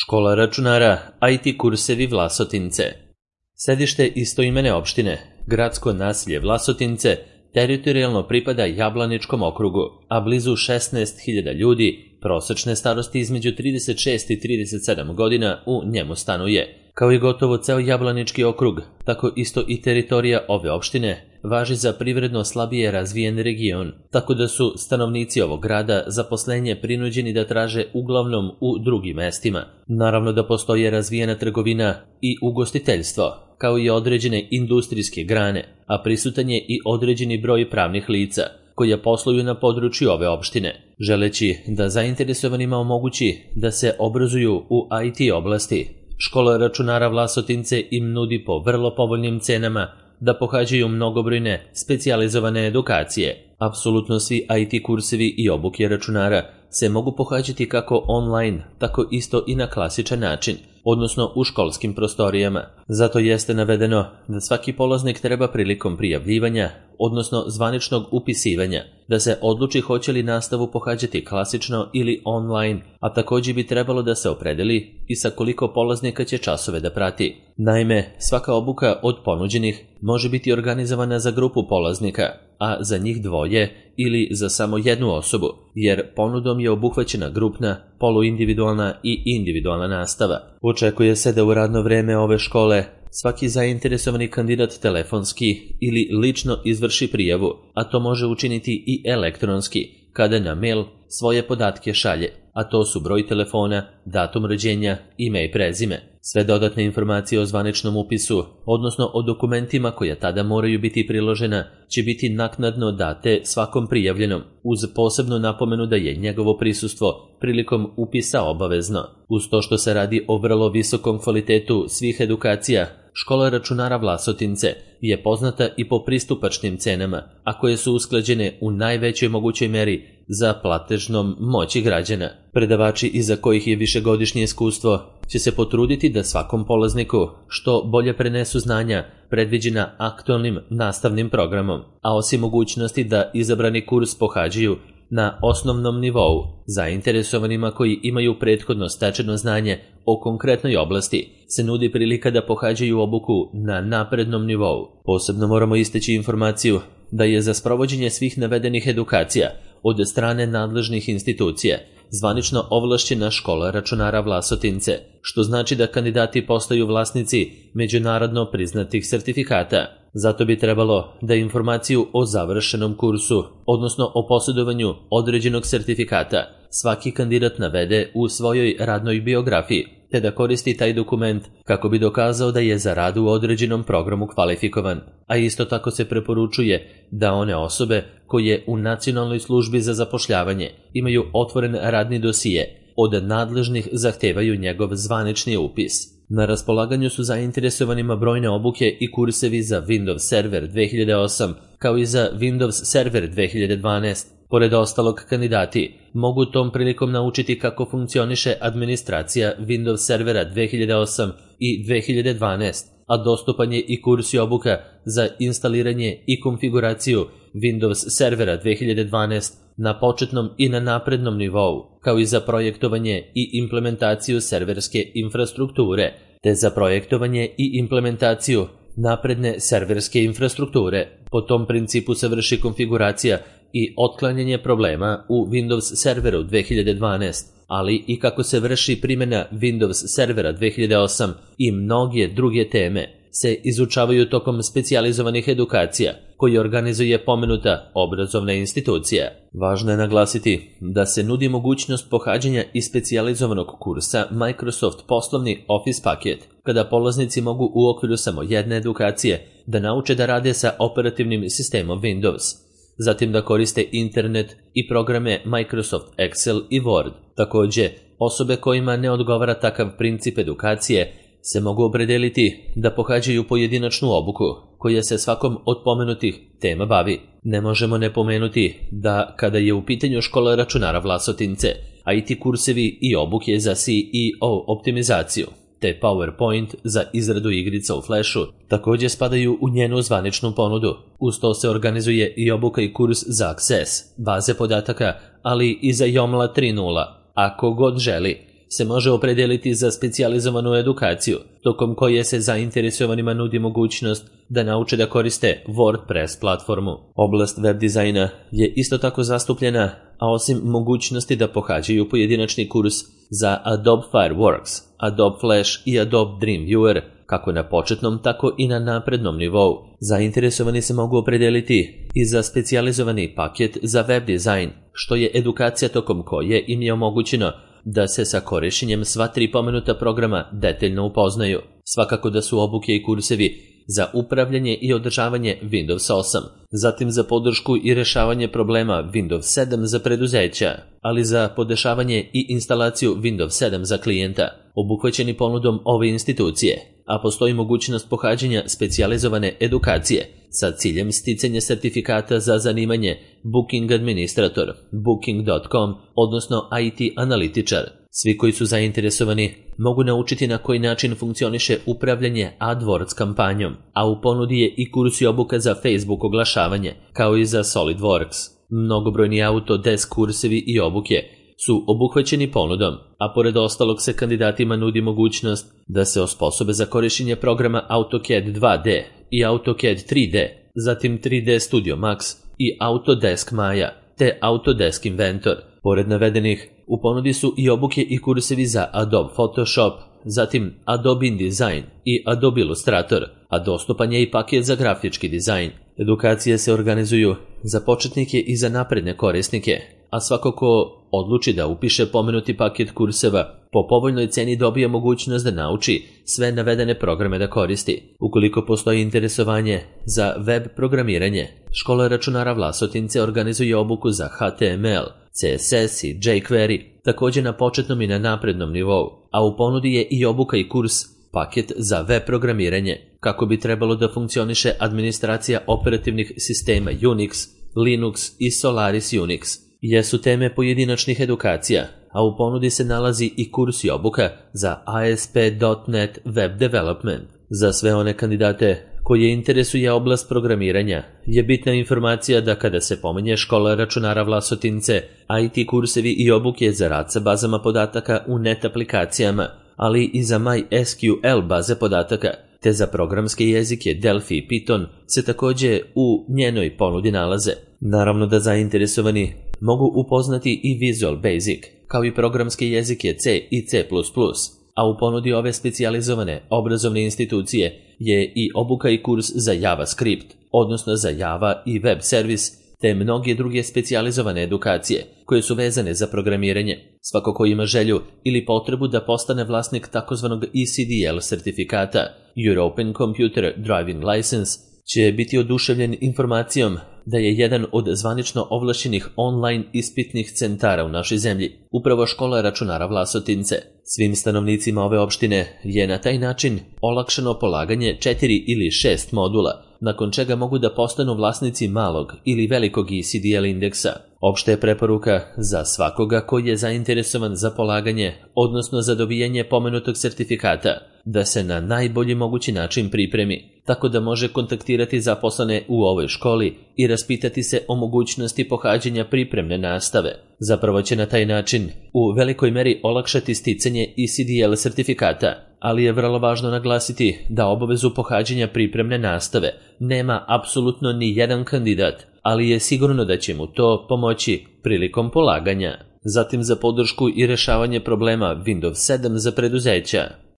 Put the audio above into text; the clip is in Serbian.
Škola računara, IT kursevi Vlasotince. Sedište istoimene opštine, gradsko naselje Vlasotince, teritorijalno pripada Jablaničkom okrugu, a blizu 16.000 ljudi, prosečne starosti između 36 i 37 godina u njemu stanuje. Kao i gotovo ceo Jablanički okrug, tako isto i teritorija ove opštine važi za privredno slabije razvijen region, tako da su stanovnici ovog grada zaposlenje prinuđeni da traže uglavnom u drugim mestima. Naravno da postoje razvijena trgovina i ugostiteljstvo, kao i određene industrijske grane, a prisutan je i određeni broj pravnih lica koja posluju na području ove opštine, želeći da zainteresovanima omogući da se obrazuju u IT oblasti. Škola računara Vlasotince im nudi po vrlo povoljnim cenama da pohađaju mnogobrojne specijalizovane edukacije. Apsolutno svi IT kursevi i obuke računara se mogu pohađati kako online, tako isto i na klasičan način, odnosno u školskim prostorijama. Zato jeste navedeno da svaki polaznik treba prilikom prijavljivanja, odnosno zvaničnog upisivanja, da se odluči hoće li nastavu pohađati klasično ili online, a također bi trebalo da se opredeli i sa koliko polaznika će časove da prati. Naime, svaka obuka od ponuđenih može biti organizovana za grupu polaznika, a za njih dvoje ili za samo jednu osobu, jer ponudom je obuhvaćena grupna, poluindividualna i individualna nastava. Očekuje se da u radno vreme ove škole svaki zainteresovani kandidat telefonski ili lično izvrši prijavu, a to može učiniti i elektronski, kada na mail svoje podatke šalje, a to su broj telefona, datum rođenja, ime i prezime. Sve dodatne informacije o zvaničnom upisu, odnosno o dokumentima koja tada moraju biti priložena, će biti naknadno date svakom prijavljenom, uz posebnu napomenu da je njegovo prisustvo prilikom upisa obavezno. Uz to što se radi o vrlo visokom kvalitetu svih edukacija, Škola računara Vlasotince je poznata i po pristupačnim cenama, a koje su usklađene u najvećoj mogućoj meri za platežnom moći građana. Predavači iza kojih je višegodišnje iskustvo će se potruditi da svakom polazniku što bolje prenesu znanja predviđena aktualnim nastavnim programom, a osim mogućnosti da izabrani kurs pohađaju na osnovnom nivou, zainteresovanima koji imaju prethodno stečeno znanje o konkretnoj oblasti se nudi prilika da pohađaju obuku na naprednom nivou. Posebno moramo istaći informaciju da je za sprovođenje svih navedenih edukacija od strane nadležnih institucija zvanično ovlašćena Škola računara Vlasotince, što znači da kandidati postaju vlasnici međunarodno priznatih sertifikata. Zato bi trebalo da informaciju o završenom kursu, odnosno o posjedovanju određenog sertifikata, svaki kandidat navede u svojoj radnoj biografiji, te da koristi taj dokument kako bi dokazao da je za rad u određenom programu kvalifikovan, a isto tako se preporučuje da one osobe koje u Nacionalnoj službi za zapošljavanje imaju otvoren radni dosije od nadležnih zahtevaju njegov zvanični upis. Na raspolaganju su zainteresovanima brojne obuke i kursevi za Windows Server 2008 kao i za Windows Server 2012. Pored ostalog, kandidati mogu tom prilikom naučiti kako funkcioniše administracija Windows Servera 2008 i 2012, a dostupan je i kurs i obuka za instaliranje i konfiguraciju Windows Servera 2012 na početnom i na naprednom nivou, kao i za projektovanje i implementaciju serverske infrastrukture, te za projektovanje i implementaciju napredne serverske infrastrukture. Po tom principu se vrši konfiguracija i otklanjanje problema u Windows Serveru 2012, ali i kako se vrši primjena Windows Servera 2008 i mnoge druge teme se izučavaju tokom specijalizovanih edukacija koje organizuje pomenuta obrazovna institucija. Važno je naglasiti da se nudi mogućnost pohađanja i specijalizovanog kursa Microsoft poslovni Office paket, kada polaznici mogu u okviru samo jedne edukacije da nauče da rade sa operativnim sistemom Windows, zatim da koriste internet i programe Microsoft Excel i Word. Također, osobe kojima ne odgovara takav princip edukacije se mogu opredeliti da pohađaju pojedinačnu obuku koja se svakom od pomenutih tema bavi. Ne možemo ne pomenuti da kada je u pitanju Škola računara Vlasotince, IT kursevi i obuke za CEO optimizaciju te PowerPoint za izradu igrica u Flashu također spadaju u njenu zvaničnu ponudu. Uz to se organizuje i obuka i kurs za Access, baze podataka, ali i za Joomla 3.0. Ako god želi, se može opredijeliti za specijalizovanu edukaciju, tokom koje se zainteresovanima nudi mogućnost da nauče da koriste WordPress platformu. Oblast web dizajna je isto tako zastupljena, a osim mogućnosti da pohađaju pojedinačni kurs za Adobe Fireworks, Adobe Flash i Adobe Dreamweaver, kako na početnom, tako i na naprednom nivou. Zainteresovani se mogu opredijeliti i za specijalizovani paket za web dizajn, što je edukacija tokom koje im je omogućeno da se sa korišćenjem sva 3 pomenuta programa detaljno upoznaju. Svakako da su obuke i kursevi za upravljanje i održavanje Windows 8, zatim za podršku i rešavanje problema Windows 7 za preduzeća, ali za podešavanje i instalaciju Windows 7 za klijenta, obuhvaćeni ponudom ove institucije, a postoji mogućnost pohađanja specijalizovane edukacije sa ciljem sticanja sertifikata za zanimanje Booking Administrator, Booking.com, odnosno IT analitičar. Svi koji su zainteresovani mogu naučiti na koji način funkcioniše upravljanje AdWords kampanjom, a u ponudi je i kurs i obuka za Facebook oglašavanje, kao i za SolidWorks. Mnogobrojni Autodesk kursevi i obuke su obuhvaćeni ponudom, a pored ostalog se kandidatima nudi mogućnost da se osposobe za korišćenje programa AutoCAD 2D i AutoCAD 3D, zatim 3D Studio Max i Autodesk Maya, te Autodesk Inventor. Pored navedenih, u ponudi su i obuke i kursevi za Adobe Photoshop, zatim Adobe InDesign i Adobe Illustrator, a dostupan je i paket za grafički dizajn. Edukacije se organizuju za početnike i za napredne korisnike, a svako ko odluči da upiše pomenuti paket kurseva po povoljnoj ceni dobije mogućnost da nauči sve navedene programe da koristi. Ukoliko postoji interesovanje za web programiranje, Škola računara Vlasotince organizuje obuku za HTML, CSS i jQuery, također na početnom i na naprednom nivou, a u ponudi je i obuka i kurs paket za web programiranje, kako bi trebalo da funkcioniše administracija operativnih sistema Unix, Linux i Solaris Unix. Jesu teme pojedinačnih edukacija, a u ponudi se nalazi i kurs i obuka za ASP.NET Web Development. Za sve one kandidate koje interesuje oblast programiranja je bitna informacija da kada se pominje Škola računara Vlasotince, IT kursevi i obuke za rad sa bazama podataka u net aplikacijama, ali i za MySQL baze podataka, te za programske jezike Delphi i Python se također u njenoj ponudi nalaze. Naravno da zainteresovani mogu upoznati i Visual Basic, kao i programske jezike C i C++, a u ponudi ove specijalizovane obrazovne institucije je i obuka i kurs za JavaScript, odnosno za Java i web servis, te mnoge druge specijalizovane edukacije koje su vezane za programiranje. Svako ko ima želju ili potrebu da postane vlasnik takozvanog ECDL sertifikata, European Computer Driving License, će biti oduševljen informacijom da je jedan od zvanično ovlašćenih online ispitnih centara u našoj zemlji upravo Škola računara Vlasotince. Svim stanovnicima ove opštine je na taj način olakšano polaganje 4 ili 6 modula, nakon čega mogu da postanu vlasnici malog ili velikog ECDL indeksa. Opšta je preporuka za svakoga koji je zainteresovan za polaganje, odnosno za dobijanje pomenutog sertifikata, da se na najbolji mogući način pripremi, tako da može kontaktirati zaposlene u ovoj školi i raspitati se o mogućnosti pohađanja pripremne nastave. Zapravo će na taj način u velikoj meri olakšati sticanje ECDL sertifikata, ali je vrlo važno naglasiti da obavezu pohađanja pripremne nastave nema apsolutno ni jedan kandidat, ali je sigurno da će mu to pomoći prilikom polaganja. Zatim za podršku i rešavanje problema Windows 7 za preduzeća.